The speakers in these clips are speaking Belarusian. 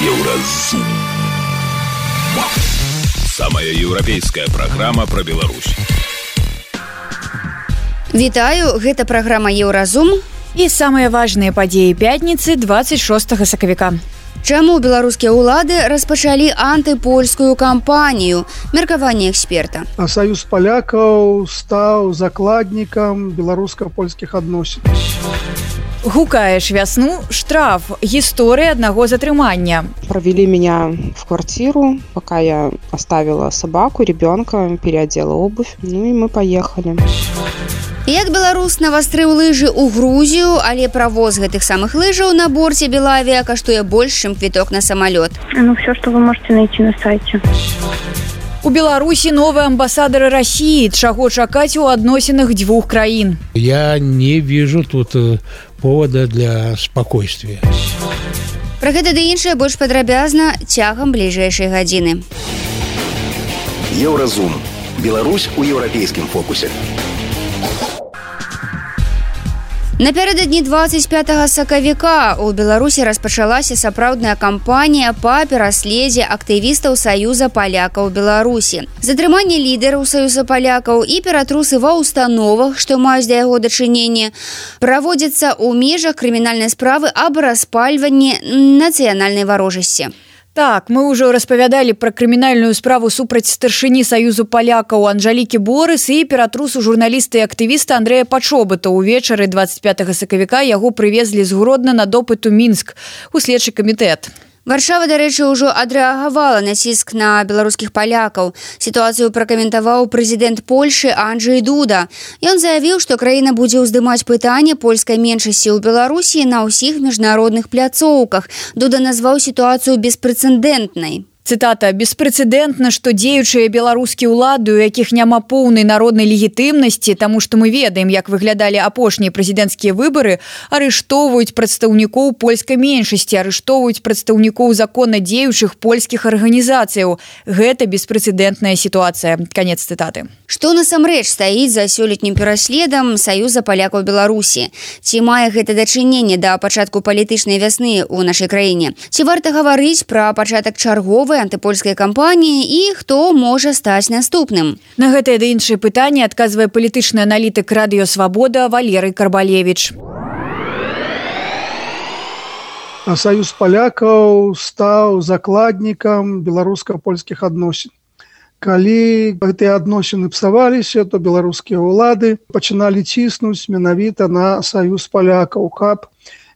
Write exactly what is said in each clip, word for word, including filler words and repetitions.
Еўразум. Самая еўрапейская праграма пра Беларусь. Вітаю, гэта праграма Еўразум. І самыя важныя падзеі пятніцы двадцать шостага сакавіка. Чаму беларускія ўлады распачалі антыпольскую кампанію? Меркаванне эксперта. А Саюз палякаў стаў закладнікам беларуска-польскіх адносін. Гукаеш вясну, штраф, гісторыя аднаго затрымання. Провели меня в квартиру, пока я оставила собаку, ребенка, переодела обувь, ну и мы поехали. Як беларус навастрыў лыжы ў Грузію, але правоз гэтых самых лыжаў на борце Белавіа каштуе больш, чым квіток на самолет. Ну, все, что вы можете найти на сайте. У Беларусі новыя амбасадары России. Чаго чакаць у адносінах дзвюх краін? Я не вижу тут повода для спокойствия. Пра гэта ды іншае больш падрабязна цягам бліжэйшай гадзіны. Еўразум. Беларусь у еўрапейскім фокусе. Напярэдадні двадцать пятага сакавіка у Беларусі распачалася сапраўдная кампанія па пераследзе актывістаў Саюза палякаў Беларусі. Затрыманне лідараў Саюза палякаў і ператрусы ва ўстановах, што маюць да яго дачыненне, праводзяцца ў межах крымінальнай справы аб распальванні нацыянальнай варожасці. Так, мы ўжо распавядалі пра крымінальную справу супраць старшыні Саюзу палякаў Анжалікі Борыс і ператрусу журналіста і актывіста Андрэя Пачобыта. Увечары двадцать пятага сакавіка яго прывезлі з Гродна на допыт у Мінск у следчы камітэт. Варшава, дарэчы, ўжо адрэагавала на ціск на беларускіх палякаў. Сітуацыю пракаментаваў прэзідэнт Польшы Анджэй Дуда. Ён заявіў, што краіна будзе ўздымаць пытанне польскай меншасці ў Беларусі на ўсіх міжнародных пляцоўках. Дуда назваў сітуацыю беспрэцэдэнтнай. Цытата: «Беспрэцэдэнтна, што дзеючыя беларускія ўлады, у якіх няма поўнай народнай легітымнасці, таму што мы ведаем, як выглядалі апошнія прэзідэнцкія выбары, арыштоўваюць прадстаўнікоў польскай меншасці, арыштоўваюць прадстаўнікоў законна дзеючых польскіх арганізацыяў. Гэта беспрэцэдэнтная сітуацыя». Канец цытаты. Што насамрэч стаіць за сёлетнім пераследам Саюза палякаў Беларусі? Ці мае гэта дачыненне да пачатку палітычнай вясны ў нашай краіне? Ці варта гаварыць пра пачатак чарговай антыпольскай кампаніі і хто можа стаць наступным? На гэтае ды іншае пытанне адказвае палітычны аналітык радыё Свабода Валерый Карбалевіч. А Саюз палякаў стаў закладнікам беларуска-польскіх адносін. Калі гэтыя адносіны псаваліся, то беларускія ўлады пачыналі ціснуць менавіта на Саюз палякаў, каб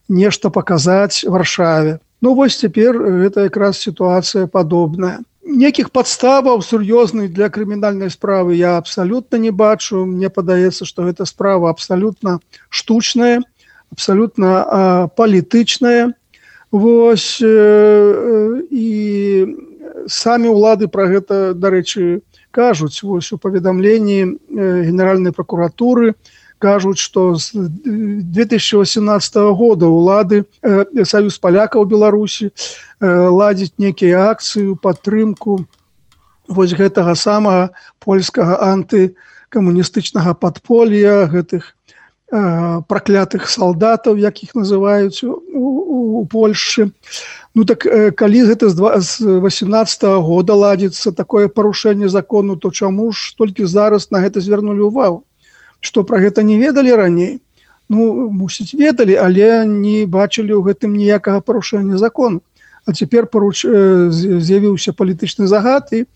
нешта паказаць Варшаве. Ну вось цяпер гэта якраз сітуацыя падобная. Некіх падставаў сур'ёзных для крымінальнай справы я абсалютна не бачу. Мне падаецца, што гэта справа абсалютна штучная, абсалютна а, палітычная. Вось э, і самі ўлады пра гэта, дарэчы, кажуць. Вось у паведамленні э, Генеральнай пракуратуры кажуць, што з две тысячи восемнадцатого года ўлады э, Саюз палякаў Беларусі э, ладзіць некія акцыі ў падтрымку вось гэтага самага польскага антыкамуністычнага падполля, гэтых э, праклятых салдатаў, якіх называюць у, у, у Польшчы. Ну так э, калі гэта з восемнадцатого года ладзіцца такое парушэнне закону, то чаму ж толькі зараз на гэта звярнулі ўвагу? Што пра гэта не ведалі раней? Ну, мусіць, ведалі, але не бачылі ў гэтым ніякага парушэння закону. А цяпер паруч... з'явіўся палітычны загад, і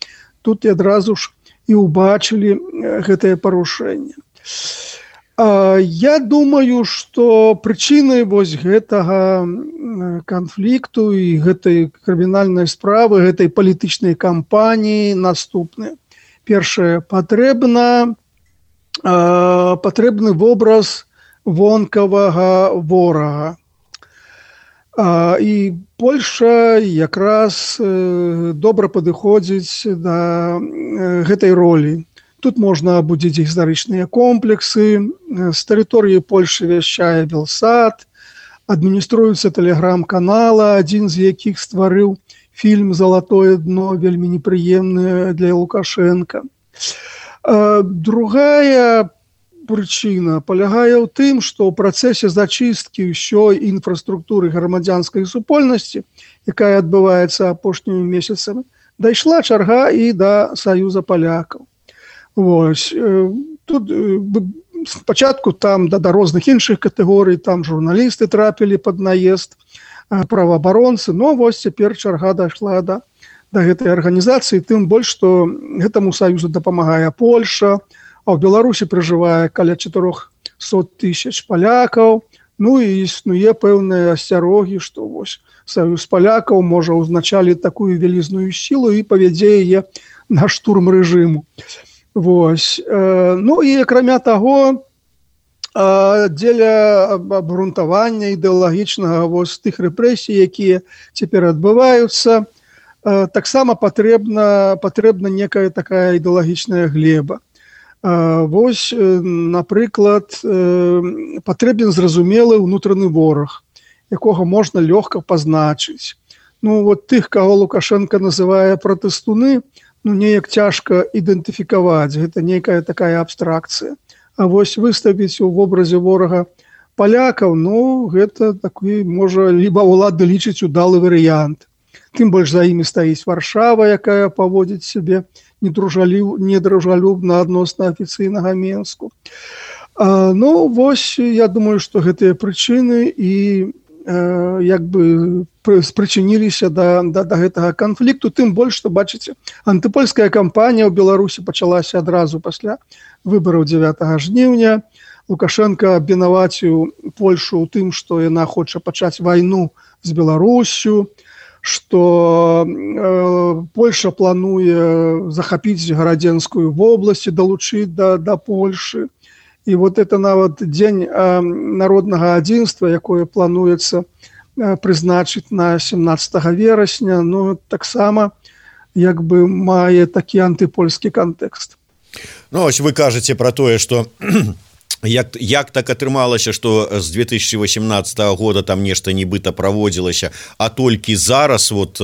тут і адразу ж і ўбачылі гэтае парушэнне. А я думаю, што прычынай вось гэтага канфлікту і гэтай крымінальнай справы, гэтай палітычнай кампаніі наступныя. Першае, патрэбна патрэбны вобраз вонкавага ворага. І Польшча якраз добра падыходзіць да гэтай ролі. Тут можна абудзіць гістарычныя комплексы, з тэрыторыі Польшчы вяшчае Белсат, адмініструюцца тэлеграм-канала, адзін з якіх стварыў фільм «Залатое дно», вельмі непрыемны для Лукашенка. Другая прычына палягае ў тым, што ў працэсе зачысткі ўсёй інфраструктуры грамадзянскай супольнасці, якая адбываецца апошнімі месяцамі, дайшла чарга і да Саюза палякаў. Вось. Тут спачатку там да, да розных іншых катэгорый, там журналісты трапілі пад наезд, праваабаронцы, но вось цяпер чарга дайшла да, да гэтай арганізацыі, тым больш, што гэтаму Саюзу дапамагае Польша, а ў Беларусі пражывае каля чатырохсот тысяч палякаў, ну і існуе пэўныя асцярогі, што вось Саюз палякаў можа ўзначаліць такую вялізную сілу і павядзе яе на штурм рэжыму. Вось. Ну і акрамя таго, дзеля абгрунтавання ідэалагічнага вось тых рэпрэсій, якія цяпер адбываюцца, таксама патрэбна, патрэбна некая такая ідэалагічная глеба. Вось, напрыклад, патрэбен зразумелы ўнутраны вораг, якога можна лёгка пазначыць. Ну, вот тых, каго Лукашенко называе пратэстуны, ну, неяк цяжка ідэнтыфікаваць, гэта нейкая такая абстракцыя. А вось выставіць у вобразе ворага палякаў, ну, гэта такі, можа, либо ўлады лічыць удалы варыянт. Тым больш за імі стаіць Варшава, якая паводзіць сябе недружалюбна адносна афіцыйнага Менску. А, ну, вось, я думаю, што гэтыя прычыны і э, як бы спрычыніліся да, да, да гэтага канфлікту, тым больш, што, бачыце, антыпольская кампанія ў Беларусі пачалася адразу пасля выбараў дзевятага жніўня. Лукашенко абвінаваціў Польшу ў тым, што яна хоча пачаць вайну з Беларусю, што э, Польша плануе захапіць гарадзенскую вобласць, далучыць да, да Польшы. І вот это нават дзень э, народнага адзінства, якое плануецца э, прызначыць на семнаццатага верасня, ну, таксама як бы мае такі антыпольскі кантэкст. Ну, ось вы кажаце пра тое, што Як, як так атрымалася, што з две тысячи восемнадцатага года там нешта нібыта праводзілася, а толькі зараз, вот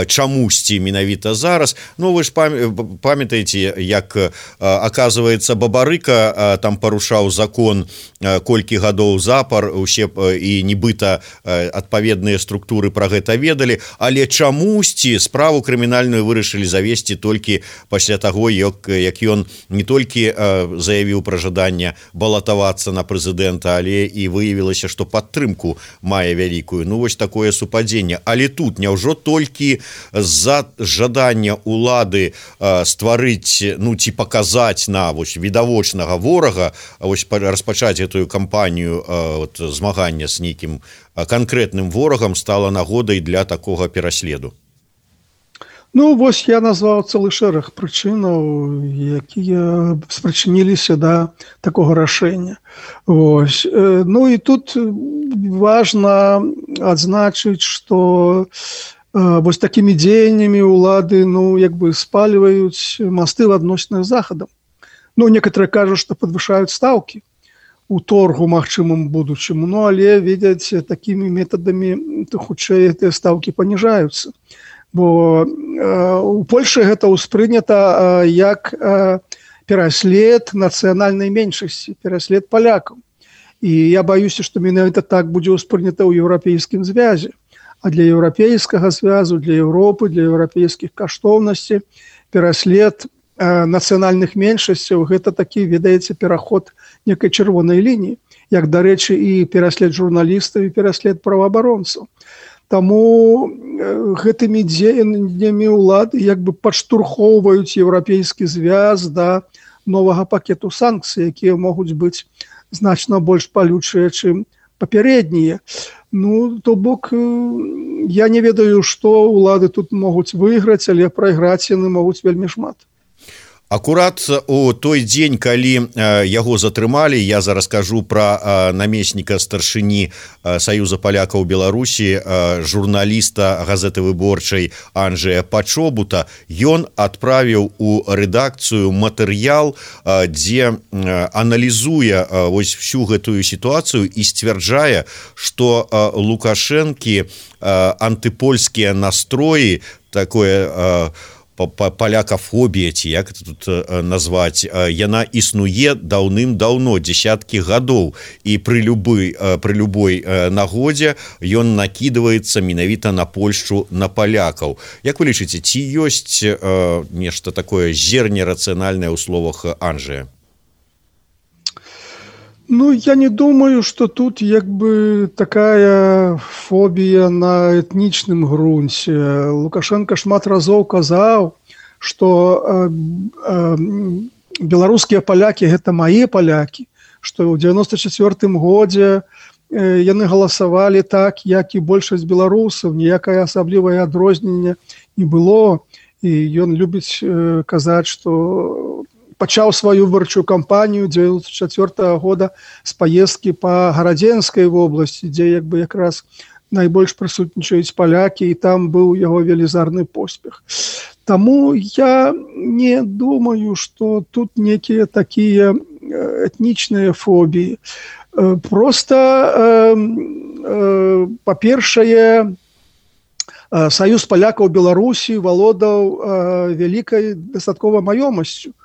чамусьці менавіта зараз. Ну, вы ж памятаеце, як, аказваецца, Бабарыка там парушаў закон колькі гадоў запар, усе і нібыта адпаведныя структуры пра гэта ведалі, але чамусьці справу крымінальную вырашылі завесці толькі пасля таго, як, як ён не толькі заявіў пра жаданне балатавацца на прэзідэнта, але і выявілася, што падтрымку мае вялікую. Ну, вось такое супадзенне. Але тут няўжо толькі з-за жадання улады э, стварыць, ну, ці паказаць на вось відавочнага ворага, вось распачаць гэтую кампанію э, вот, змагання з нейкім канкрэтным ворагам стала нагодай для такога пераследу? Ну, вось я назваў цэлы шэраг прычынаў, якія спрычыніліся да такога рашэння. Вось. Ну і тут важна адзначыць, што вось такімі дзеяннямі ўлады, ну, як бы спальваюць масты в адносінах з Захадам. Ну, некаторыя кажуць, што падвышаюць стаўкі у торгу магчымым будучым, ну, але, видаць, такімі метадамі хутчэй гэтыя стаўкі паніжаюцца. Бо э, у Польшы гэта ўспрынята э, як э, пераслед нацыянальнай меншасці, пераслед палякаў. І я баюся, што менавіта так будзе ўспрынята ў еўрапейскім звязе. А для еўрапейскага звязу, для Еўропы, для еўрапейскіх каштоўнасцей пераслед э, нацыянальных меншасцяў гэта такі, ведаеце, пераход некай чырвонай лініі, як, дарэчы, і пераслед журналістаў, і пераслед праваабаронцаў. Таму гэтымі дзеяннямі ўлады як бы падштурхоўваюць еўрапейскі звяз да новага пакету санкцый, якія могуць быць значна больш палючыя, чым папярэднія. Ну, то бок, я не ведаю, што ўлады тут могуць выйграць, але прайграць яны могуць вельмі шмат. Акурат у той дзень, калі яго затрымалі, я зараз кажу пра намесніка старшыні Саюза палякаў Беларусі, журналіста газеты выборчай Анджэя Пачобута. Ён адправіў у рэдакцыю матэрыял, дзе аналізуе вось всю гэтую сітуацыю і сцвярджае, што Лукашэнкі антыпольскія настроі, такое палякафобія, ці як это тут назваць, яна існуе даўным-даўно, дзесяткі гадоў, і пры любой, пры любой нагодзе ён накідваецца менавіта на Польшчу, на палякаў. Як вы лічыце, ці ёсць нешта такое зерне рацыянальнае ў словах Анджэя? Ну, я не думаю, что тут як бы такая фобія на этнічным грунце. Лукашенко шмат разоў казаў, што э, э, беларускія палякі гэта мае палякі, што ў девяносто четвёртым годзе э, яны галасавалі так, як і большасць беларусаў, ніякае асаблівае адрозненне не было. І ён любіць э, казаць, што пачаў сваю выбарчую кампанію девяносто четвёртого года з паездкі па Гарадзенскай вобласці, дзе як бы якраз найбольш прысутнічаюць палякі, і там быў яго велізарны поспех. Таму я не думаю, што тут некія такія этнічныя фобіі. Просто, э, э, па-першае, Саюз палякаў Беларусі валодаў э, вялікай дастатковай маёмасцю.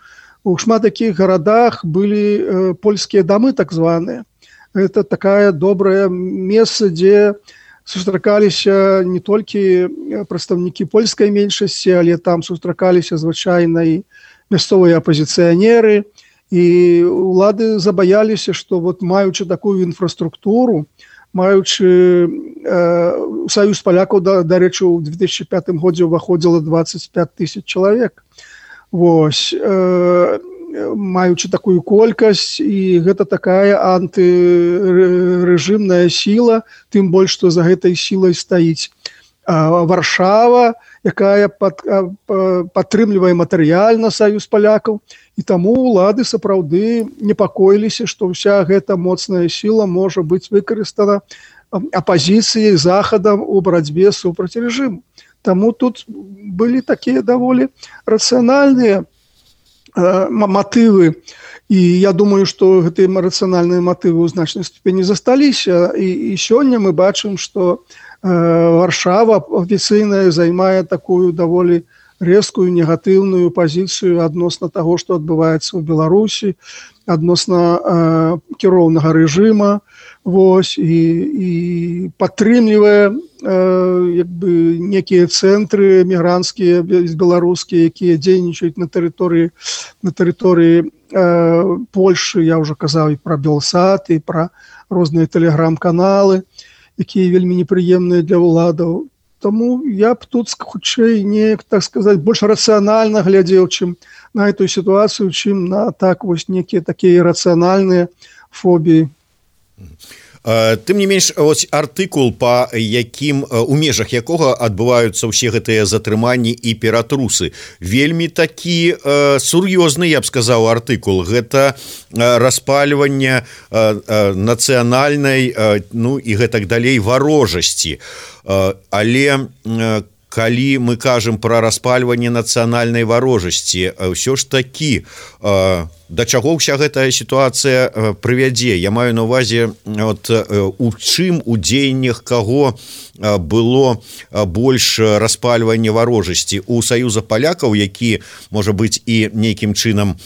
У шмат такіх гарадах былі э, польскія дамы, так званыя. Это такая добрае месца, дзе сустракаліся не толькі прадстаўнікі польскай меншасці, але там сустракаліся звычайна і мясцовыя апазіцыянеры. І улады забаяліся, што вот маючы такую інфраструктуру, маючы э, Саюз палякаў, да, дарэчы, у две тысячи пятым годзе ўваходзіла двадцать пять тысяч чалавек. Вось, э, маючы такую колькасць, і гэта такая антырэжымная сіла, тым больш, што за гэтай сілай стаіць а, Варшава, якая пад, а, падтрымлівае матэрыяльна Саюз палякаў, і таму улады сапраўды непакоіліся, што ўся гэта моцная сіла можа быць выкарыстана апазіцыяй захадам у барацьбе супраць рэжыму. Таму тут былі такія даволі рацыянальныя э, матывы, і я думаю, што гэтыя рацыянальныя матывы ў значнай ступені засталіся, і, і сёння мы бачым, што э, Варшава афіцыйная займае такую даволі рэзкую негатыўную пазіцыю адносна таго, што адбываецца ў Беларусі, адносна э, кіроўнага рэжыма, вось, і, і падтрымлівае э, як бы некія цэнтры мігранцкія, беларускія, якія дзейнічаюць на тэрыторыі на тэрыторыі э, Польшы. Я ўжо казаў і пра Белсат, і пра розныя тэлеграм-каналы, якія вельмі непрыемныя для ўладаў. Таму я б тут хутчэй неяк, так сказаць, больш рацыянальна глядзеў, чым на эту сітуацыю, чым на так вось некія такія рацыянальныя фобіі. Тым не менш, ось артыкул, па якім, у межах якога адбываюцца ўсе гэтыя затрыманні і ператрусы, вельмі такі э, сур'ёзны, я б сказаў, артыкул. Гэта э, распальванне э, э, нацыянальнай, э, ну і гэтак далей, варожасці. Э, але э, калі мы кажам пра распальванне нацыянальнай варожасці, ўсё ж такі, э, да чаго ўся гэтая сітуацыя прывядзе? Я маю на ўвазе, от, у чым, у дзеяннях каго было больш распальвання варожасці? У Саюза палякаў, які, можа быць, і нейкім чынам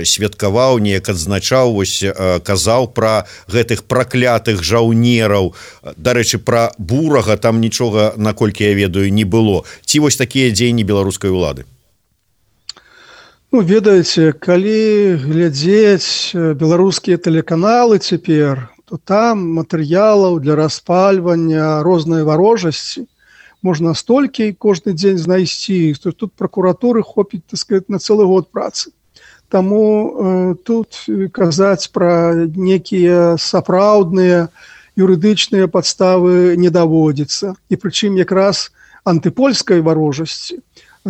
святкаваў, неяк адзначаў, вось, казаў пра гэтых праклятых жаўнераў. Дарэчы, пра Бурага там нічога, наколькі я ведаю, не было. Ці вось такія дзеянні беларускай улады? Ну, ведаеце, калі глядзець беларускія тэлеканалы цяпер, то там матэрыялаў для распальвання рознай варожасці можна столькі кожны дзень знайсці, што тут пракуратуры хопіць, так сказаць, на цэлы год працы. Таму э, тут казаць пра некія сапраўдныя юрыдычныя падставы не даводзіцца. І прычым якраз антыпольскай варожасці.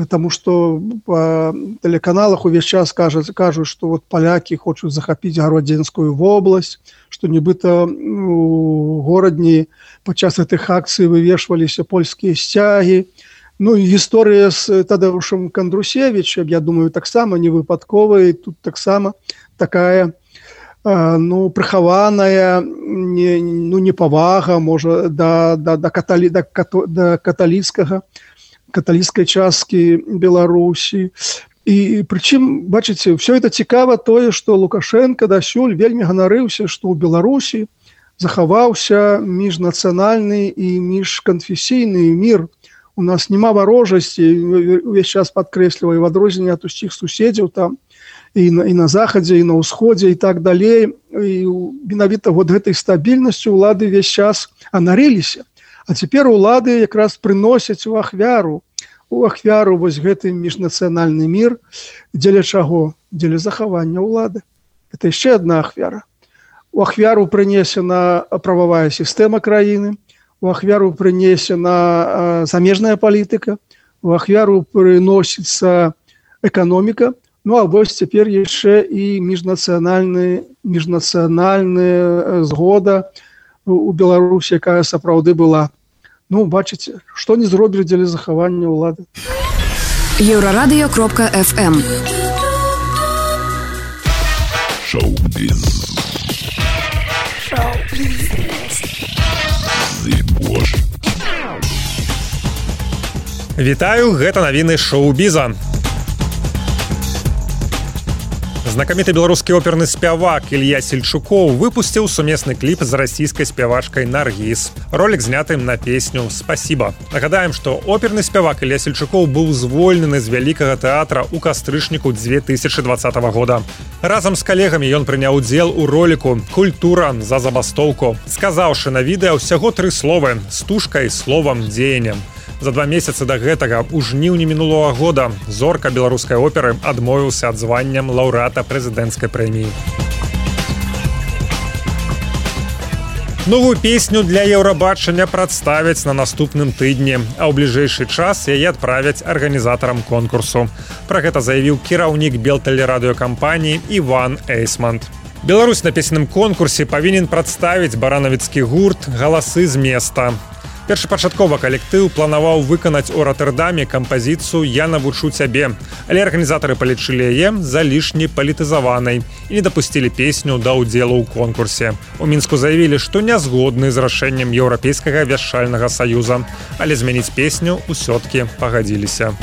Таму што па тэлеканалах увесь час кажуць, кажуць, што вот палякі хочуць захапіць Гарадзенскую вобласць, што нібыта у горадні падчас гэтых акцый вывешваліся польскія сцягі. Ну і гісторыя з Тадэушам Кандрусевічам, я думаю, таксама не выпадковая, тут таксама такая ну, прыхаваная не, ну, непавага, можа, да, да, да, каталі, да, да каталіцкага каталіцкай часткі Беларусі. І прычым, бачыце, все это цікава тое, што Лукашенко дасюль вельмі ганарыўся, што ў Беларусі захаваўся міжнацыянальны і міжканфесійны мір. У нас няма варожасці, увесь час падкрэсліваю, в адрозненне ад усіх суседзяў там і на, і на захадзе, і на ўсходзе, і так далей. І менавіта вот гэтай стабільнасцю ўлады весь час анарыліся. А цяпер улады якраз прыносяць у ахвяру, у ахвяру вось гэты міжнацыянальны мір, дзеля чаго? Дзеля захавання ўлады. Это яшчэ одна ахвяра. У ахвяру прынесена прававая сістэма краіны, у ахвяру прынесена замежная палітыка, у ахвяру прыносіцца эканоміка, ну а вось цяпер яшчэ і міжнацыянальная міжнацыянальная згода у Беларусі, якая сапраўды была. Ну, бачыце, што не зробілі дзеля захавання ўлады. Еўрарадыё кропка эф эм. Шоу-біз. Шоу-біз. Вітаю, гэта навіны шоу-біза. Знакаміты беларускі оперны спявак Ілья Сельчукоў выпусціў сумесны кліп з расійскай спявачкай Наргіз. Ролік зняты на песню «Спасибо». Нагадаем, што оперны спявак Ілья Сельчукоў быў звольнены з вялікага тэатра ў кастрычніку две тысячы двадцатага года. Разам з калегамі ён прыняў удзел у роліку «Культура за забастоўку», сказаўшы на відэа ўсяго тры словы з тушкай, словам, дзеяннем. За два месяцы да гэтага у жніўні мінулого года зорка беларускай оперы адмовіўся ад званням лаўрэата прэзідэнцкай прэміі. Новую песню для Еўрабачання прадставяць на наступным тыдні, а ў бліжэйшы час яе адправяць арганізатарам конкурсу. Пра гэта заявіў кіраўнік белтэлерадыёкампаніі Іван Эйсманд. Беларусь на песенным конкурсе павінен прадставіць баранавіцкі гурт «Галасы з места». Першапачаткова калектыў планаваў выканаць у Роттердаме кампазіцыю «Я навучу цябе», але арганізатары палічылі яе залішне палітызаванай і не дапусцілі песню да ўдзелу ў конкурсе. У Мінску заявілі, што не згодны з рашэннем Еўрапейскага вяшчальнага саюза, але змяніць песню ўсё-ткі пагадзіліся.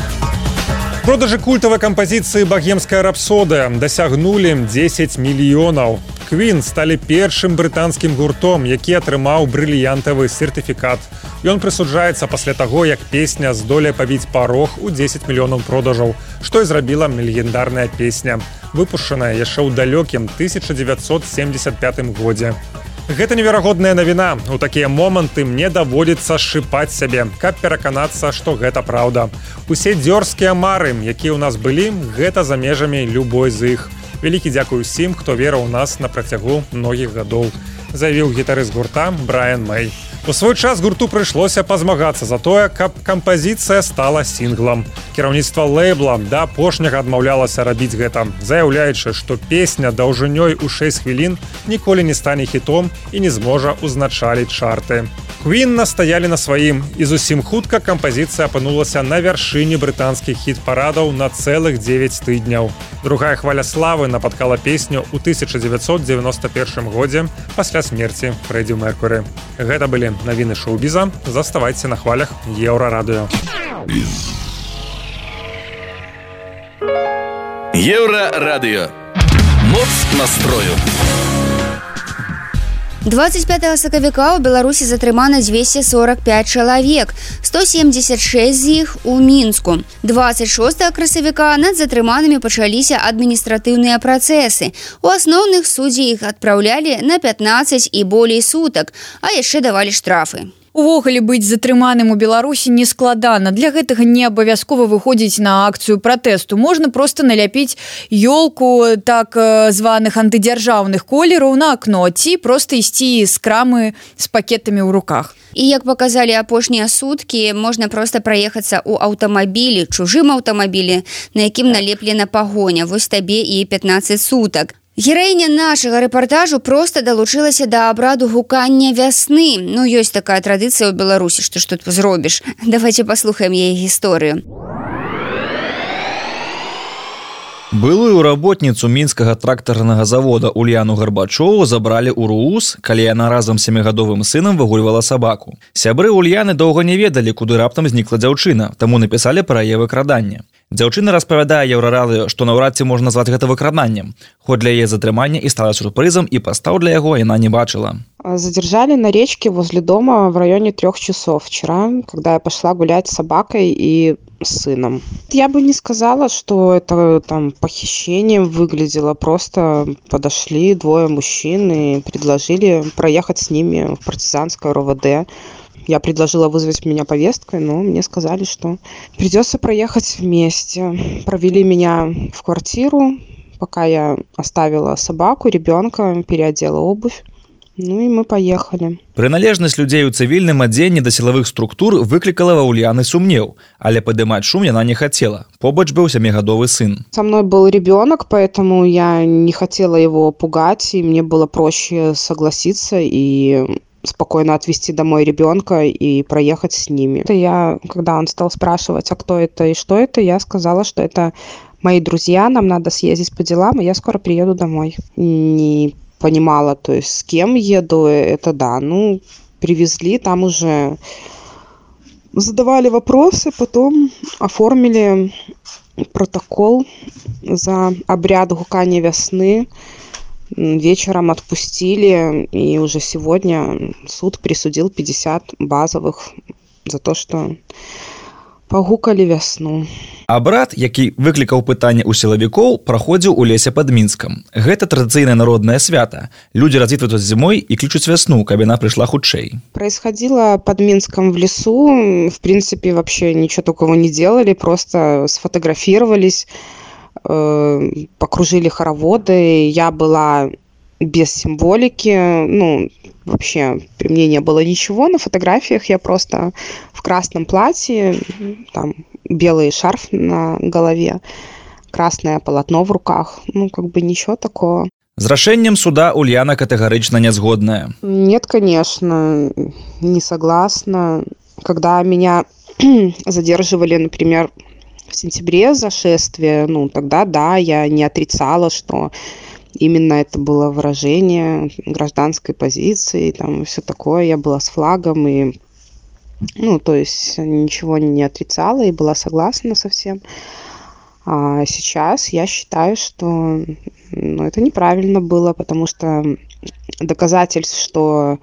Продажы культавай кампазіцыі «Багемская рапсодыя» дасягнулі дзесяць мільёнаў. Queen сталі першым брытанскім гуртом, які атрымаў брыльянтавы сертыфікат. Ён прысуджаецца пасля таго, як песня здолее пабіць парог у дзесяць мільёнаў продажаў, што і зрабіла легендарная песня, выпушчаная яшчэ ў далёкім тысяча дзевяцьсот семьдесят пятым годзе. Гэта неверагодная навіна. У такія моманты мне даводзіцца шыпаць сябе, каб пераканацца, што гэта праўда. Усе дзёрзкія мары, якія ў нас былі, гэта за межамі любой з іх. Вялікі дзякуй усім, хто верыў у нас на працягу многіх гадоў, заявіў гітарыст гурта Брайан Мэй. У свой час гурту прыйшлося пазмагацца за тое, каб кампазіцыя стала сінглам. Кіраўніцтва лэйбла да апошняга адмаўлялася рабіць гэта, заяўляючы, што песня даўжынёй у шэсць хвілін ніколі не стане хітом і не зможа ўзначаліць чарты. Queen настаялі на сваім, і зусім хутка кампазіцыя апынулася на вяршыні брытанскіх хіт-парадаў на цэлых дзевяць тыдняў. Другая хваля славы напаткала песню ў тысяча дзевяцьсот дзевяноста першым годзе пасля смерці Фрэдзі Меркуры. Гэта былі навіны шоу-біза. Заставайце на хвалях Еўрарадыё. Еўрарадыё. Моц настрою. двадцать пятого сакавіка ў Беларусі затрымана двести сорок пять чалавек, сто семьдесят шесть з іх у Мінску. двадцать шостого красавіка над затрыманымі пачаліся адміністратыўныя працэсы. У асноўных суддзі іх адпраўлялі на пятнадцать і болей сутак, а яшчэ давалі штрафы. Увогуле быць затрыманым у Беларусі не складана. Для гэтага не абавязкова выходзіць на акцыю пратэсту. Можна проста наляпіць ёлку так званых антыдзяржаўных колераў на акно ці проста ісці з крамы з пакетамі ў руках. І як паказалі апошнія суткі, можна проста праехацца ў аўтамабілі, чужым аўтамабілі, на якім налеплена пагоня. Вось табе і пятнадцать сутак. Гераіня нашага рэпартажу проста далучылася да абраду гукання вясны. Ну, ёсць такая традыцыя ў Беларусі, што ж тут зробіш. Давайце паслухаем яе гісторыю. Былую работніцу мінскага трактарнага завода Ульяну Гарбачову забралі ў РУС, калі яна разам з сямігадовым сынам выгульвала сабаку. Сябры Ульяны доўга не ведалі, куды раптам знікла дзяўчына, таму напісалі пра яе выкрадання. Дзяўчына распавядае Еўрарадыё, што наўрад ці можна назваць гэта выкраданнем, хоць для яе затрымання і стала сюрпрызам, і пастаў для яго яна не бачыла. Задержали на речке возле дома в районе трех часов вчера, когда я пошла гулять с собакой и с сыном. Я бы не сказала, что это там похищением выглядело. Просто подошли двое мужчин и предложили проехать с ними в партизанское РОВД. Я предложила вызвать меня повесткой, но мне сказали, что придется проехать вместе. Провели меня в квартиру, пока я оставила собаку, ребенка, переодела обувь. Ну і мы поехали. Прыналежнасць людзей у цывільным адзенні да сілавых структур выклікала ва Ульяны сумнеў, але падымаць шум яна не хацела. Побач быў сямігадовы сын. Со мной был ребенок, поэтому я не хотела его пугать, и мне было проще согласиться и спокойно отвезти домой ребенка и проехать с ними. Это я, когда он стал спрашивать, а кто это и что это, я сказала, что это мои друзья, нам надо съездить по делам, и я скоро приеду домой. Не понимала, то есть с кем еду, это да. Ну, привезли, там уже задавали вопросы, потом оформили протокол за обряд гукания весны. Вечером отпустили, и уже сегодня суд присудил пятьдесят базовых за то, что пагукалі вясну. Абрад, які выклікаў пытанне ў сілавікоў, праходзіў у лесе пад Мінскам. Гэта традыцыйнае народнае свята. Людзі развітваюць зімой і клічуць вясну, каб яна прыйшла хутчэй. Происходило под Минском в лесу. В принципе, вообще ничего такого не делали, просто сфотографировались, э, покружили хороводы. Я была без символики, ну, вообще при мне не было ничего. На фотографиях я просто в красном платье, там белый шарф на голове, красное полотно в руках. Ну, как бы ничего такого. З рашэннем суда Ульяна катэгарычна нязгодная. Нет, конечно, не согласна. Когда меня задерживали, например, в сентябре за шествие, ну, тогда да, я не отрицала, что именно это было выражение гражданской позиции, там все такое. Я была с флагом и, ну, то есть ничего не отрицала и была согласна со всем. А сейчас я считаю, что, ну, это неправильно было, потому что доказательств, что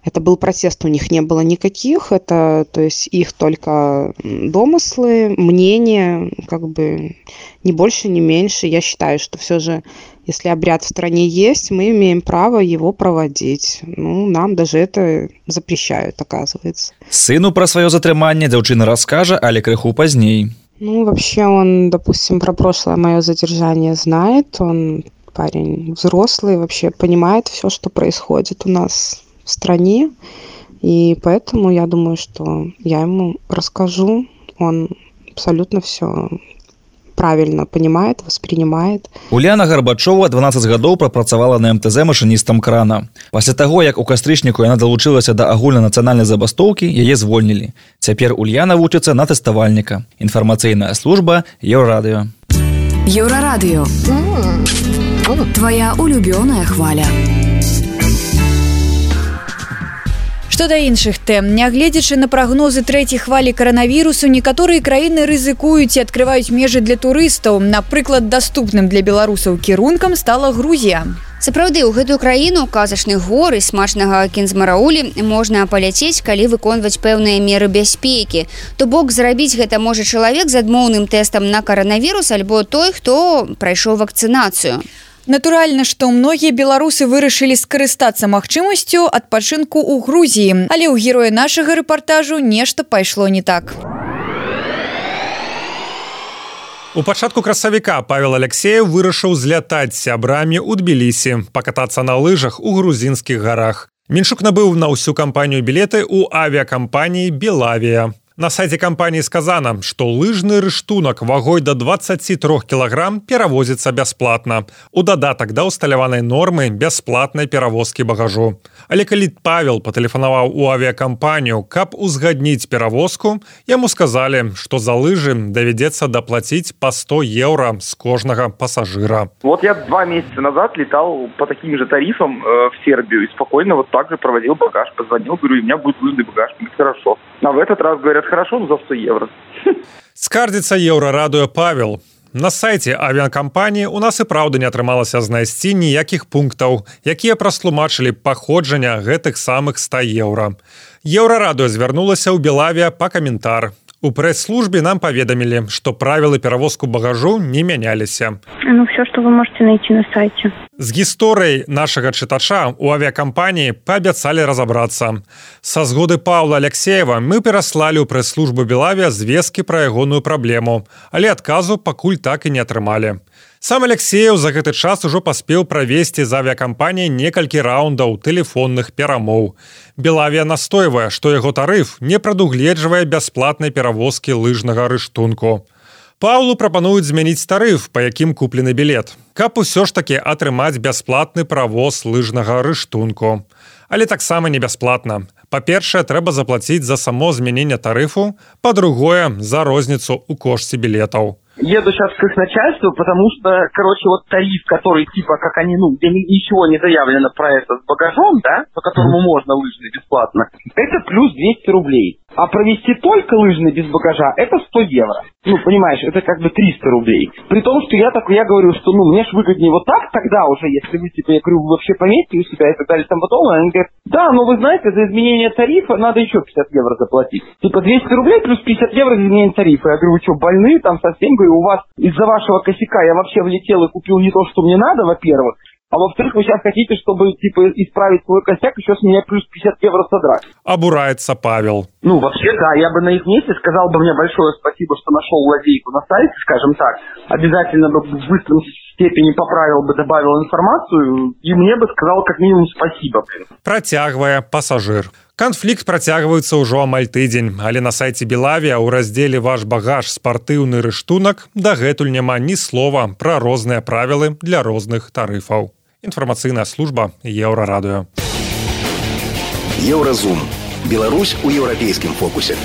это был протест, у них не было никаких. Это, то есть, их только домыслы, мнения, как бы ни больше, ни меньше. Я считаю, что все же, если обряд в стране есть, мы имеем право его проводить. Ну, нам даже это запрещают, оказывается. Сыну про свое затрыманне дзяўчына раскажа, але крыху пазней. Ну, вообще он, допустим, про прошлое мое задержание знает. Он парень взрослый, вообще понимает все, что происходит у нас в стране. И поэтому я думаю, что я ему расскажу. Он абсолютно все правильно понимает, воспринимает. Уляна Гарбачова дванаццаць гадоў прапрацавала на эм тэ зэ машыністам крана. Пасля таго, як у кастрычніку яна далучылася да агульнанацыянальнай забастоўкі, яе звольнілі. Цяпер Ульяна вучыцца на тэставальніка. Інфармацыйная служба Еўрарадыё. Еўрарадыё. Твоя улюбёная хваля. Што да іншых тэм, нягледзячы на прагнозы трэцяй хвалі каранавірусу, некаторыя краіны рызыкуюць і адкрываюць межы для турыстаў. Напрыклад, даступным для беларусаў кірункам стала Грузія. Сапраўды, у гэтую краіну казачных гор і смачнага кінзмараулі можна паляцець, калі выконваць пэўныя меры бяспекі. То бок зрабіць гэта можа чалавек з адмоўным тэстам на каранавірус альбо той, хто прайшоў вакцынацыю. Натуральна, што многія беларусы вырашылі скарыстацца магчымасцю адпачынку ў Грузіі, але ў героя нашага рэпартажу нешта пайшло не так. У пачатку красавіка Павел Алексеев вырашыў злятаць з сябрамі ў Тбілісі, пакатацца на лыжах у грузінскіх гарах. Меншук набыў на ўсю кампанію білеты ў авіакампаніі «Белавія». На сайце кампаніі сказана, што лыжны рыштунак вагой да дваццаць тры кілаграм перавозіцца бясплатна. У дадатак да ўсталяванай нормы бясплатнай перавозкі багажу. Але калі Павел патэлефанаваў у авіякампанію, каб узгадніць перавозку, яму сказалі, што за лыжы давядзецца даплаціць па сто еўра з кожнага пасажыра. Вот я два месяца назад летал по таким же тарифам э, в Сербию и спокойно вот так же проводил багаж. Позвонил, говорю, у меня будет лыжный багаж. Говорит, хорошо. А в этот раз говорят, хорошо, ну за сто евро. Скардзіцца Еўрарадыё Павел. На сайце авіякампаніі у нас і праўда не атрымалася знайсці ніякіх пунктаў, якія растлумачылі паходжання гэтых самых ста еўра. Еўрарадыё звярнулася ў Белавія па каментар. У прэс-службе нам паведамілі, што правілы перавозку багажу не мяняліся. Ну, все, что вы можете найти на сайте. З гісторыяй нашага чытача у авіякампаніі паабяцалі разабрацца. Са згоды Паўла Алексеева мы пераслалі ў прэс-службу Белавія звесткі пра ягоную праблему, але адказу пакуль так і не атрымалі. Сам Алексеев за гэты час ужо паспеў правесці з авіякампаніяй некалькі раундаў тэлефонных перамоў. Белавія настойвае, што яго тарыф не прадугледжвае бясплатнай перавозкі лыжнага рыштунку. Паўлу прапануюць змяніць тарыф, па якім куплены білет, каб усё ж такі атрымаць бясплатны правоз лыжнага рыштунку. Але таксама не бясплатна. Па-першае, трэба заплаціць за само змяненне тарыфу, па-другое, за розніцу ў кошце білетаў. Еду сейчас к их начальству, потому что, короче, вот тариф, который типа, как они, ну, где ничего не заявлено про это с багажом, да, по которому можно лыжный бесплатно, это плюс двести рублей. А провести только лыжный без багажа, это сто евро. Ну, понимаешь, это как бы триста рублей. При том, что я так, я говорю, что, ну, мне ж выгоднее вот так тогда уже, если вы, типа, я говорю, вы вообще пометьте у себя и так далее, там потом, они говорят, да, но вы знаете, за изменение тарифа надо еще пятьдесят евро заплатить. Типа двести рублей плюс пятьдесят евро за изменение тарифа. Я говорю, вы что, больные там совсем? Говорю, у вас из-за вашего косяка я вообще влетел и купил не то, что мне надо, во-первых, а во-вторых, вы сейчас хотите, чтобы, типа, исправить свой косяк, еще с меня плюс пятьдесят евро содрать. Обурается Павел. Ну, вообще, да, я бы на их месте сказал бы мне большое спасибо, что нашел лазейку на сайте, скажем так. Обязательно бы в быстром степени поправил бы, добавил информацию, и мне бы сказал как минимум спасибо. Працягвае пасажыр. Канфлікт працягваецца ўжо амаль тыдзень, але на сайце Белавія ў раздзеле «Ваш багаж. Спартыўны рыштунак» дагэтуль няма ні слова пра розныя правілы для розных тарыфаў. Інфармацыйная служба Еўрарадыё. Еўразум. Беларусь у еўрапейскім фокусе.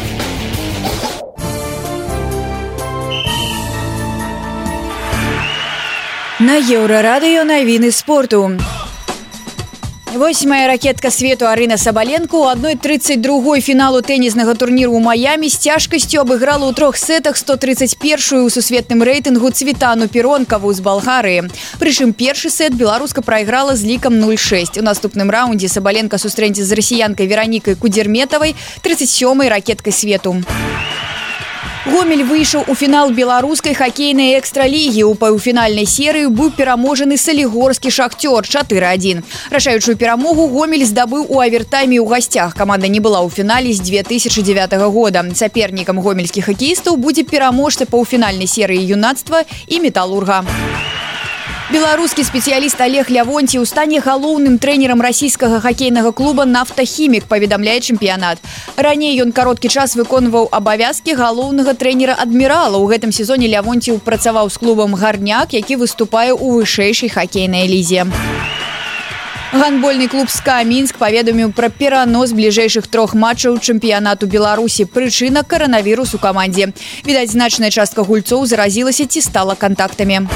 На Еўрарадыё навіны спорту. Восьмая ракетка свету Арына Сабаленко у одной тридцать другой фіналу тэніснага турніру ў Маямі з цяжкасцю абыграла ў трох сетах сто тридцать первую ў сусветным рэйтынгу Цветану Піронкаву з Балгарыі. Прычым першы сет беларуска прайграла з лікам нуль шэсць. У наступным раўндзе Сабаленко сустрэцца з расіянкай Веранікай Кудзерметавай, тридцать сёмай ракеткай свету. Гомель выйшаў у фінал беларускай хакейнай экстралігі. У паўфінальнай серыі быў пераможаны салігорскі шахцёр чатыры адзін. Рашаючую перамогу Гомель здабыў у авертайме ў гасцях. Каманда не была ў фінале з две тысячи дзевятага года. Сапернікам гомельскіх хакеістаў будзе пераможца паўфінальнай серыі юнацтва і металурга. Беларускі спецыяліст Олег Лявонціў стане галоўным трэнерам расійскага хакейнага клуба «Нафтахімік», паведамляе чэмпіянат. Раней ён кароткі час выконваў абавязкі галоўнага трэнера «Адмірала». У гэтым сезоне Лявонціў працаваў з клубам «Гарняк», які выступае ў вышэйшай хакейнай лізе. Гандбольны клуб «СКА Мінск» паведаміў пра перанос бліжэйшых трох матчаў чэмпіянату Беларусі. Прычына – каранавірус у камандзе. Відаць, значная частка гульцоў заразілася ці стала кантактамі.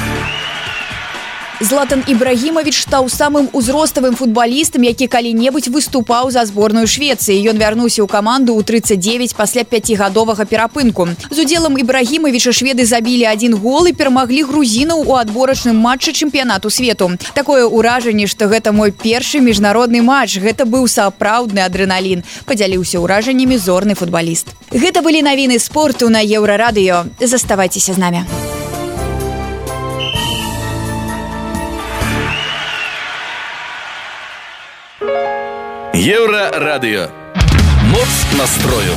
Златан Ібрагімавіч стаў самым узроставым футбалістам, які калі-небудзь выступаў за зборную Швецыі. Ён вярнуўся ў каманду ў тридцать девять пасля пяцігадовага перапынку. З удзелам Ібрагімавіча шведы забілі адзін гол і перамаглі грузінаў у адборачным матчы чэмпіянату свету. Такое ўражанне, што гэта мой першы міжнародны матч. Гэта быў сапраўдны адрэналін. Падзяліўся ўражаннямі зорны футбаліст. Гэта былі навіны спорту на Еўрарадыё. Заставайцеся з намі. Еўрарадыё. Моц настрою.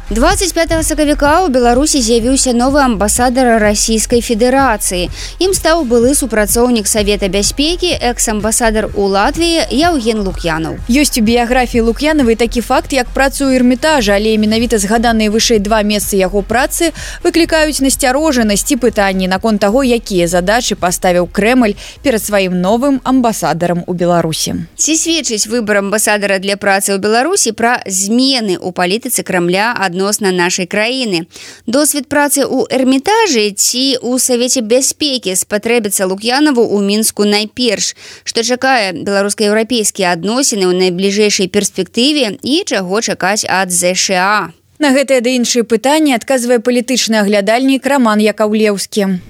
двадцать пятого сакавіка ў Беларусі з'явіўся новы амбасадар Расійскай Федэрацыі. Ім стаў былы супрацоўнік Савета бяспекі, экс-амбасадар у Латвіі Яўген Лук'янаў. Ёсць у біяграфіі Лук'янавай такі факт, як працу ў Эрмітажа, але менавіта згаданыя вышэй два месцы яго працы выклікаюць насцярожанасць і пытанні наконт таго, якія задачы паставіў Крэмль перад сваім новым амбасадарам у Беларусі. Ці сведчыць выбар амбасадара для працы ў Беларусі пра змены ў палітыцы Крамля адносна нашай краіны. Досвед працы ў Эрмітажы ці ў Савеце бяспекі спатрэбіцца Лук'янаву ў Мінску найперш, што чакае беларуска-еўрапейскія адносіны ў найбліжэйшай перспектыве і чаго чакаць ад ЗША. На гэтыя ды іншыя пытанні адказвае палітычны аглядальнік Роман Якаўлеўскі.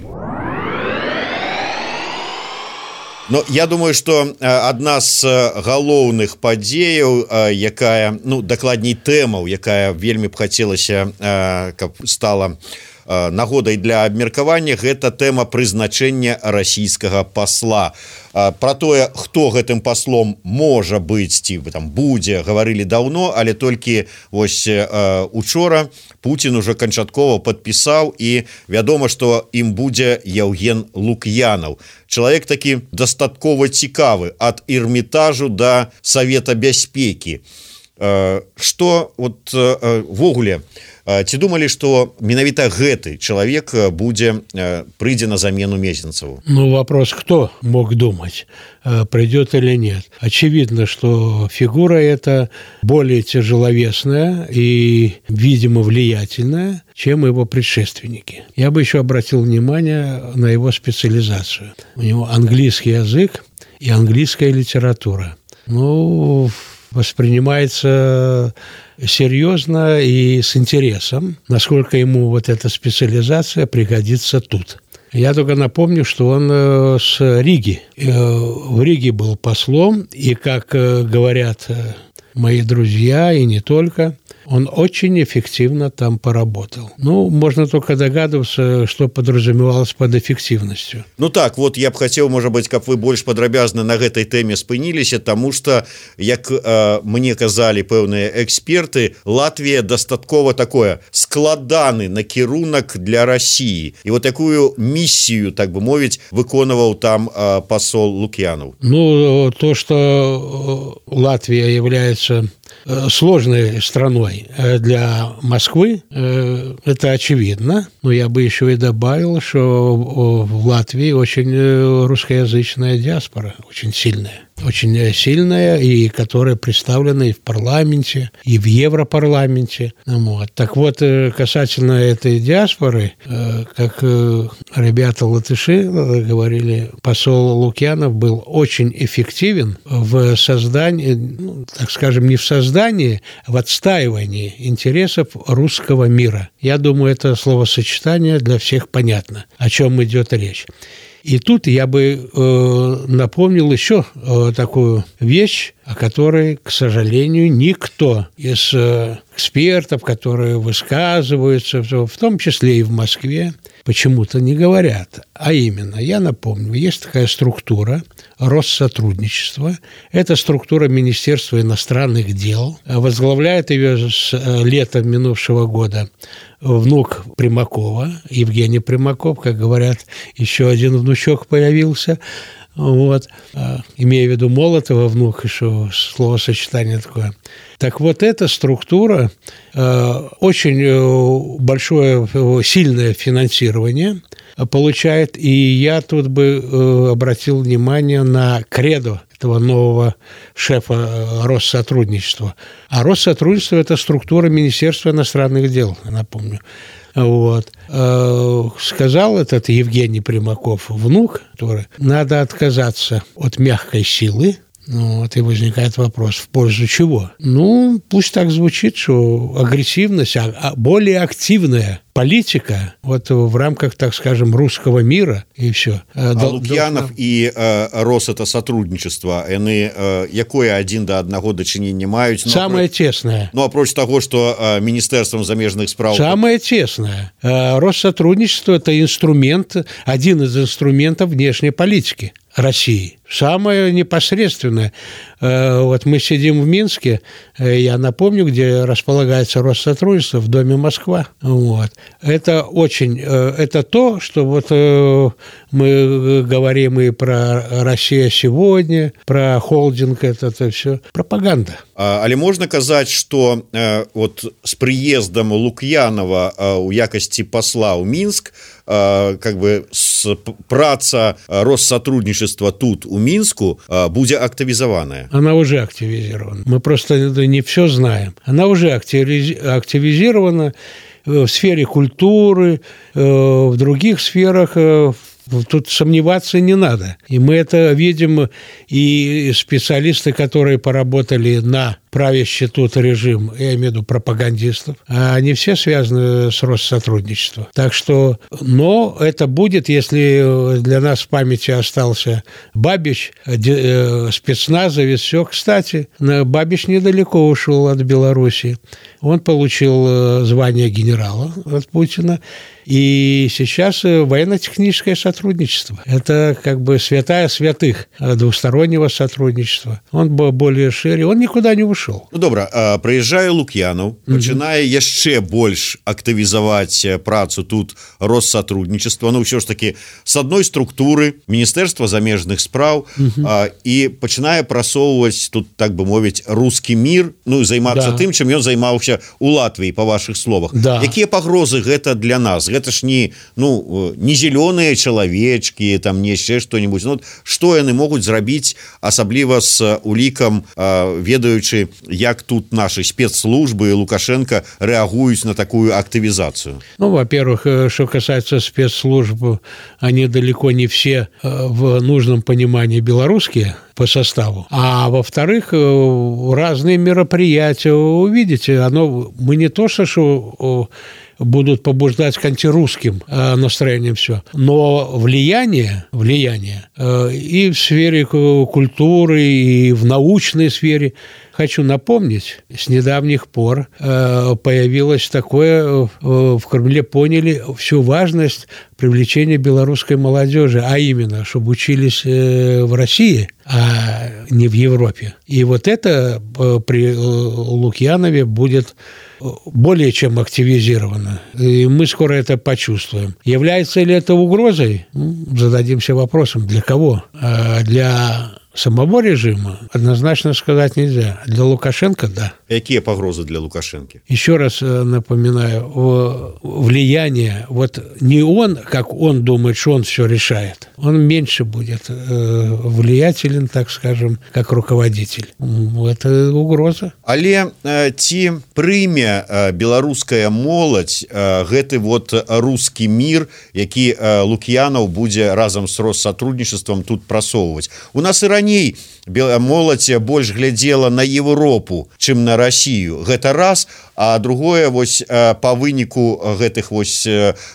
Ну, я думаю, что одна з галоўных падзеяў, якая, ну, дакладней тэмаў, якая вельмі б хацелася, каб стала нагодай для абмеркавання, гэта тэма прызначэння расійскага пасла. Про тое, хто гэтым паслом можа быць ці там будзе, гаварылі даўно, але толькі вось учора Путін уже канчаткова падпісаў, і вядома, што ім будзе Яўген Лук'янаў. Чалавек такі дастаткова цікавы ад Эрмітажу да Савета бяспекі. Што вот ввогуле, ці думалі, што менавіта гэты чалавек будзе прыйдзе на замену Мезенцеву? Ну, вопрос, кто мог думать, придет или нет. Очевидно, что фигура эта более тяжеловесная и, видимо, влиятельная, чем его предшественники. Я бы еще обратил внимание на его специализацию. У него английский язык и английская литература. Ну, воспринимается серьезно и с интересом, насколько ему вот эта специализация пригодится тут. Я только напомню, что он с Риги. В Риге был послом, и, как говорят мои друзья, и не только, он очень эффективно там поработал. Ну, можно только догадываться, что подразумевалось под эффективностью. Ну так, вот я б хотел, может быть, как вы больше подробязно на этой теме спынились, потому что, як э, мне казали пэўныя эксперты, Латвия достатково такое складаны накірунак для России. И вот такую миссию, так бы мовить, выконывал там э, посол Лук'янов. Ну, то, что Латвия является сложной страной для Москвы, это очевидно. Но я бы еще и добавил, что в Латвии очень русскоязычная диаспора, очень сильная. Очень сильная, и которая представлена и в парламенте, и в Европарламенте. Вот. Так вот, касательно этой диаспоры, как ребята-латыши говорили, посол Лукьянов был очень эффективен в создании, ну, так скажем, не в создании, а в отстаивании интересов русского мира. Я думаю, это словосочетание для всех понятно, о чем идет речь. И тут я бы э, напомнил еще э, такую вещь, о которой, к сожалению, никто из э, экспертов, которые высказываются, в том числе и в Москве, почему-то не говорят. А именно, я напомню, есть такая структура Россотрудничества. Это структура Министерства иностранных дел. Возглавляет ее с лета минувшего года внук Примакова, Евгений Примаков, как говорят, еще один внучок появился. Вот. Имея в виду Молотова, внук, еще словосочетание такое. Так вот, эта структура э, очень большое, сильное финансирование получает, и я тут бы э, обратил внимание на кредо этого нового шефа Россотрудничества. А Россотрудничество – это структура Министерства иностранных дел, напомню. Вот. Сказал этот Евгений Примаков, внук, который надо отказаться от мягкой силы. Вот, и возникает вопрос, в пользу чего? Ну, пусть так звучит, что агрессивность, а более активная политика вот в рамках, так скажем, русского мира, и все. А Дол- Лукьянов должна... и э, Рос это сотрудничество, они э, якое один до одного дачынення маюць? Ну, самое апроч... тесное. Ну, апроч того, что э, Министерством замежных справ... Самое тесное. Э, Россотрудничество – это инструмент, один из инструментов внешней политики России. Самое непосредственное. вот мы сидим в Минске, я напомню, где располагается Россотрудничество, в доме Москва. Вот. Это очень, это то, что вот мы говорим и про «Россия сегодня», про холдинг, это, это все пропаганда. Але можна казаць, што э, вот з прыездам Лук'янова э, у якасці пасла ў Мінск э, как бы с, праца Россотрудничества тут у Мінску э, будзе активизованная. Она уже активизирована. Мы просто не все знаем. Она уже активизирована в сфере культуры, э, в других сферах. Э, Тут сомневаться не надо. И мы это видим, и специалисты, которые поработали на правящий тут режим, я имею в виду пропагандистов, они все связаны с Россотрудничеством. Так что, но это будет, если для нас в памяти остался Бабич, спецназовец, все. Кстати, Бабич недалеко ушел от Беларуси. Он получил звание генерала от Путина. И сейчас военно-техническое сотрудничество. Это как бы святая святых двустороннего сотрудничества. Он был более шире, он никуда не ушел. Ну, добра, прыязджае Лук'янов, пачынае mm-hmm. яшчэ больш актывізаваць працу тут Россотрудничества. Ну, ўсё ж таки, с одной структуры Міністэрства замежных спраў mm-hmm. а, і пачынае прасоўваць тут, так бы мовіць, русский мир, ну, займацца да. тым, чым ён займаўся у Латвіі, па вашых словах. Да. Якія пагрозы гэта для нас? Гэта ж не, ну, не зеленые человечки, там не яшчэ что-нибудь. Ну, што яны могуць зрабіць, асабліва з улікам, ведаючы, як тут наши спецслужбы Лукашенко реагуют на такую активизацию? Ну, во-первых, что касается спецслужб, они далеко не все в нужном понимании белорусские по составу. А во-вторых, разные мероприятия, увидите, оно, мы не то, что будут побуждать к антирусским настроениям все, но влияние, влияние и в сфере культуры, и в научной сфере. Хочу напомнить, с недавних пор появилось такое, в Кремле поняли всю важность привлечения белорусской молодежи, а именно, чтобы учились в России, а не в Европе. И вот это при Лукьянове будет более чем активизировано. И мы скоро это почувствуем. Является ли это угрозой? Зададимся вопросом, для кого? Для самого режима однозначно сказать нельзя. Для Лукашенко – да. Какие погрозы для Лукашенко? Еще раз напоминаю, влияние, вот не он, как он думает, что он все решает, он меньше будет влиятелен, так скажем, как руководитель. Это угроза. Але ці прыме беларуская моладзь гэты вот русский мир, які Лук'янов будзе разам з Россотрудничеством тут прасоўваць. У нас і раней моладзь больш глядзела на Европу, чым на Россию. Гэта раз, а другое вось по выніку гэтых вось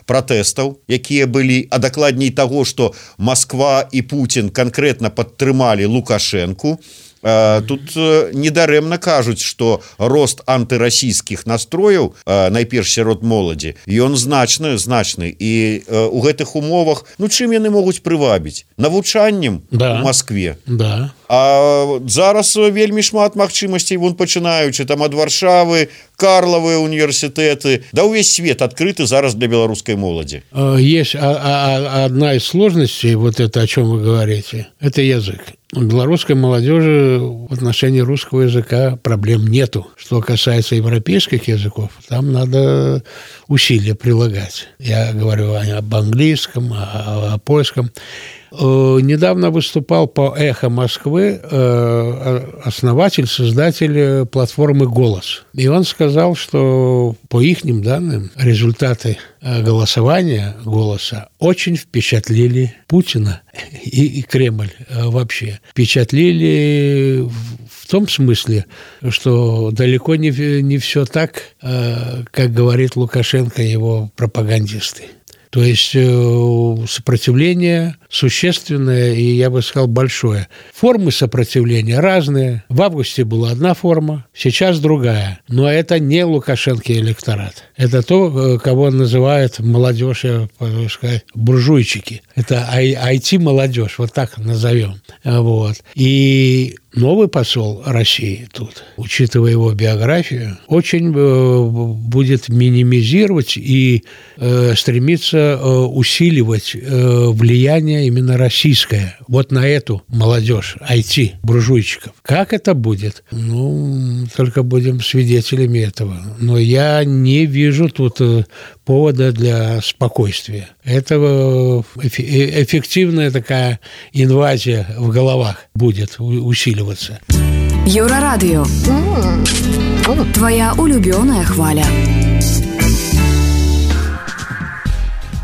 пратэстаў, якія былі, а дакладней таго, што Москва і Путин конкретно падтрымалі Лукашенку. Тут недарэмна кажуць, што рост антырасійскіх настрояў, найперш сярод моладзі, ён значны, значны. І у гэтых умовах, ну чым яны могуць прывабіць? Навучаннем да. у Москве. Да. А зараз вельмі шмат магчымасцей, вон пачынаючы там ад Варшавы, Карловыя універсітэты, да ўвесь свет адкрыты зараз для беларускай моладзі. Есть одна из сложностей, вот это, о чем вы говорите, это язык. У белорусской молодежи в отношении русского языка проблем нету. Что касается европейских языков, там надо усилия прилагать. Я говорю об английском, о, о польском. Недавно выступал по «Эхо Москвы» основатель, создатель платформы «Голос». И он сказал, что по ихним данным результаты голосования «Голоса» очень впечатлили Путина и, и Кремль вообще. Впечатлили в том смысле, что далеко не, не все так, как говорит Лукашенко и его пропагандисты. То есть сопротивление существенное и, я бы сказал, большое. Формы сопротивления разные. В августе была одна форма, сейчас другая. Но это не Лукашенко электорат. Это то, кого называют молодежь, я бы сказал, буржуйчики. Это ай ти-молодежь, вот так назовем. Вот. И новый посол России тут, учитывая его биографию, очень будет минимизировать и стремиться усиливать влияние именно российское вот на эту молодежь, ай ти-буржуйчиков. Как это будет? Ну, только будем свидетелями этого. Но я не вижу тут повода для спокойствия. Это эффективная такая инвазия в головах будет усиливаться. Еўрарадыё. Твоя улюбёная хваля.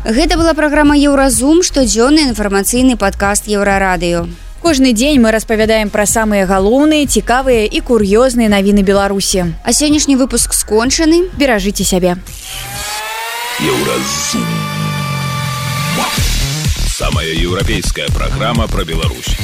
Гэта была праграма «Еўразум», штодзённы інфармацыйны падкаст «Еўрарадыё». Кожны дзень мы распавядаем пра самыя галоўныя, цікавыя і кур'ёзныя навіны Беларусі. А сённяшні выпуск скончаны. Беражыце сябе. Еўразум. Самая еўрапейская праграма пра Беларусь.